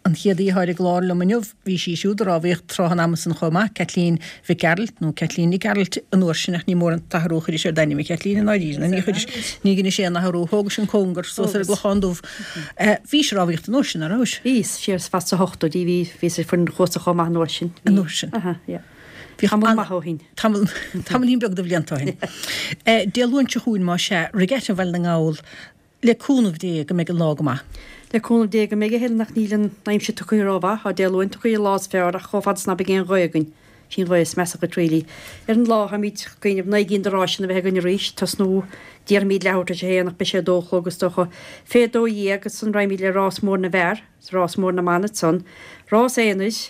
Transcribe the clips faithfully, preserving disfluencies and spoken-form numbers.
An chéad aoi atá ar an gclár liom inniu, bhí sí siúd ag rámhaíocht tráth an ama san chomh maith, Caitlín Mhic Gearailt, nó Caitlín Nic Gearailt an uair sin ach ní mór an t-athrú a chuiris ar d'ainm, a Chaitlín, i ndáiríre, nó ní chuiris, ní dheinis aon athrú, thógais an cóngar suas ar an gClochán Dubh. Bhís ag rámhaíocht an uair sin, ná rabhais? Bhíos, siar fad sna hochtóidí, bhí, bhíos ar foireann chuasa chomh maith an uair sin. An uair sin. Aha, yeah. Bhíodh Tamall an- maith ó shin. Tamall, tamaillín beag de bhlianta ó shin. Dé Luain seo chugainn, más ea, Regatta Bhaile na nGall, Le cúnamh Dé go mbeidh an lá go maith. Le cúnamh Dé go mbeidh, a Helen, ach níl an aimsir tugtha rómhaith. Tá Dé Luain tugtha an lá is fearr ach chomh fada is ná beidh aon ghaoth againn, sí an ghaoth is measa dhuit really. Ar an lá táimid ag cuimhneamh naoi gcinn de ráiseanna a bheith againn arís, tosnú déarfaimid leathuair tar éis a haon ach beidh sé a dó a chlog is dócha. Fé dó dhéag ansan raghaimid le rás mór na bhfear, is rás mór na mban ansan, rás aonair,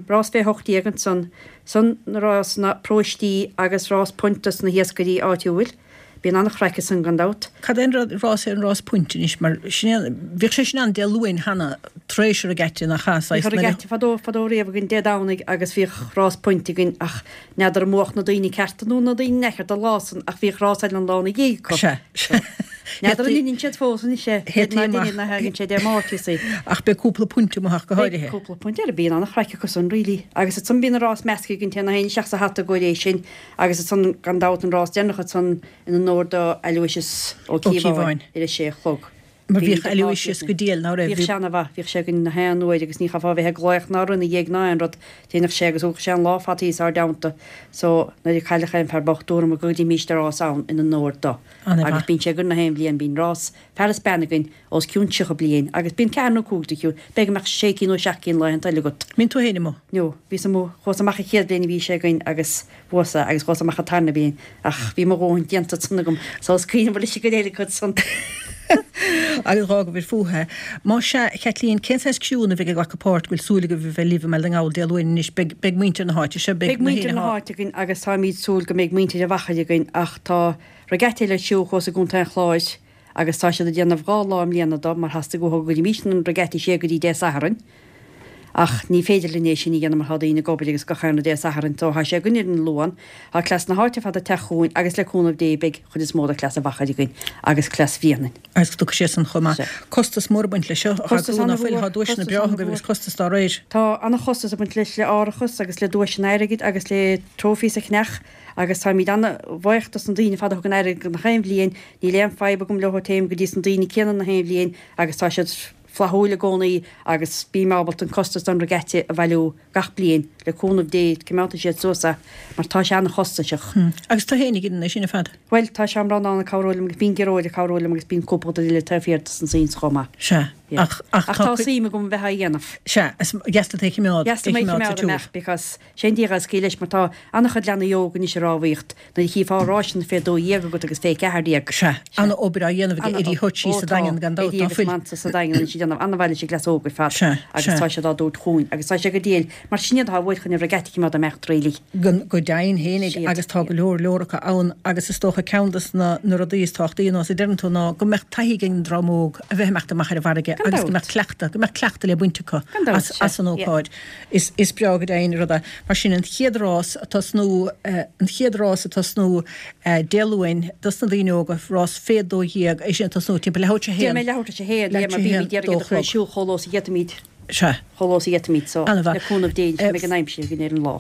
rás fé hocht déag ansan, san na rásanna paróistí agus rás punt dos na hiascairí áitiúil. Bíonn an-chraic ansan gan dabht. Cad é an rás é an rás punt anois mar sin é, bhíodh sé sin ann Dé Luain cheana tar éis an regatta nach ea, saghas Bhíodh nuair a. regatta fadó fadó riamh againn Dé Domhnaigh agus bhíodh rás punt againn ach n'fheadar an mbuadh na daoine cearta nó na daoine neamhchearta an lá san ach bhíodh rás eile an lá ina dhiaidh acu. Sea, sea. N'fheadar an ndeineann siad fós anois é, Théataí ná amach. deineann ná thagann sé Dé Máirt you see. Ach beidh cúpla punt amuigh ach go Beidh háirithe. cúpla punt eile, bíonn an-chraic acu san really. Agus ansan bíonn an rás measctha againn téann gach éinne isteach sa hata i gcomhair é sin agus ansan gan dabht an rás deireanach ansan in onóir do Aloysius Ó Ó Cíobháin Cíobháin. ar a sé a chlog. Mar Bhí bhíodh idir dhá Aloysius go chéad. diail, ná raibh? Bhíodh sé ana-mhaith, bhíodh sé againn na haon uair agus ní chaithfeá a bheith ag glaoch ná rud ina dhiaidh ná aon rud, dhéanfadh sé agus thógadh sé an lá faitíos ár dteannta so nuair a cailleadh aon fear bocht dúramar go gcuirfimíst rás ann in onóir do. Ana-mhaith. Agus bíonn sé againn na haon bhliain, bíonn rás fear is bean againn os cionn tríocha bliain agus bíonn ceathair nó cúig de chiú, b'fhéidir go mbeadh sé cinn nó seacht gcinn laethanta eile agat. Mbíonn tú féin amuigh? No, bhíos amuigh, chuas amach an chéad bhliain a bhí sé againn agus bhuas-sa agus chuas amach an tarna bliain ach bhí mo dhóthain déanta ansan agam so is cuimhin liom leis an gcuid eile acu san. Agus dh'fhágabhair fúthu. Más ea, a Chaitlín, cén saghas criúnna a bheidh ag glacadh páirt, go bhfuil súil agaibh a bheith libh i mBaile na nGall Dé Luain anois, beidh, beidh muintir na háite seo, beidh Beidh na muintir héinne na atá. háite againn agus táimíd súil go mbeidh muintir an Mhachaire againn ach tá regatta eile ar siúl thuas i gContae an Chláir agus tá siad ag déanamh dhá lá i mbliana do mar theastaigh uathu go gcuirfimís an regatta siar go dtí Dé Sathairn. Ach ní féidir linn é sin a dhéanamh mar tá daoine ag obair agus gach aon rud Dé Sathairn so tá sé againn ar an Luan. Tá cleas na háite ar fad ag teacht chugainn agus le cúnamh Dé beidh chuid is mó de chleas an Mhachaire againn agus cleas Bhréanainn. Agus tiocfaidh sé san chomh maith. Sea. Costas mór ag baint leis seo, a Costas Chaitlín, ná an-mhór, fuil? Tá duaiseanna costas breátha agaibh an-mhór. agus costas dá réir. Tá an-chostas ag baint leis le árachas agus le duaiseanna airgid agus le trophies a cheannach agus táimid an-bhuíoch dos na daoine ar fad a thugann airgead gach aon bhliain. Níl aon fadhb agam leo téim go dtí sna daoine céanna na haon bhliain agus tá siad flaithiúil i gcónaí agus bím ábalta an costas don regatta a bhailiú gach bliain, le cúnamh Dé, coimeádfaidh siad suas é mar tá sé an-chostasach. Agus tú féin ag déanamh é sin ar fad? Bhuel, tá Seán Breandán ag cabhrú liom agus bíonn Gearóid ag cabhrú liom agus bíonn cúpla duine eile taobh thiar dos na scenes chomh maith. Sea, ach, ach Ach tá tá cuid. suim agam a bheith á dhéanamh. Sea, is deas leat é a choimeád, Deas é liom é a choimeád sa choimeád tsiúl. amach because sé an díogha is leis mar tá an-chuid leanaí óg anois ag rámhaíocht nuair a chífeá ráiseanna fé dó dhéag agat agus fé ceathair déag. Sea, an-obair á dhéanamh ag Eddie Hutchie Ó sa tá, Daingean gan dabht, Eddie ná agus fuil? Mansa sa Daingean anois ag déanamh an-mhaith leis an gcleas óg ar fad Sea, agus sea. tá siad á dtabhairt chugainn agus tá sé go diail mar sin iad atá uait chun an regatta a choimeád ag imeacht really. Go, go deimhin fhéinig Siad, agus tá yeah. go leor leor acu ann agus is dócha ceann dos na, na rudaí is tábhachtaí nós a deireann tú ná go mbeadh taithí ag an dream óg a bheith ag imeacht amach ar an bhfarraige Gan agus go dabht. mbeadh cleachtadh, go mbeadh cleachtadh le baint acu Gan dabht, as, sea, as an yeah. ócáid. Is, is breá go deimhin an rud é. Mar sin an chéad rás ag tosnú, an chéad rás ag tosnú Dé Luain dos na daoine óga, rás fé dó dhéag, é sin ag tosnú timpeall leathuair tar éis a Déarfaidh haon, mé leathuair tar éis a haon, leathuair yeah, mar tar éis a bímid haon, ag iarraidh dó iad a chur ar chlog. siúl chomh luath is a d'fhéadfaimid, Sea. chomh luath is a d'fhéadfaimid, so Ana-mhaith. le cúnamh Dé, go mbeidh an aimsir againn ar an lá.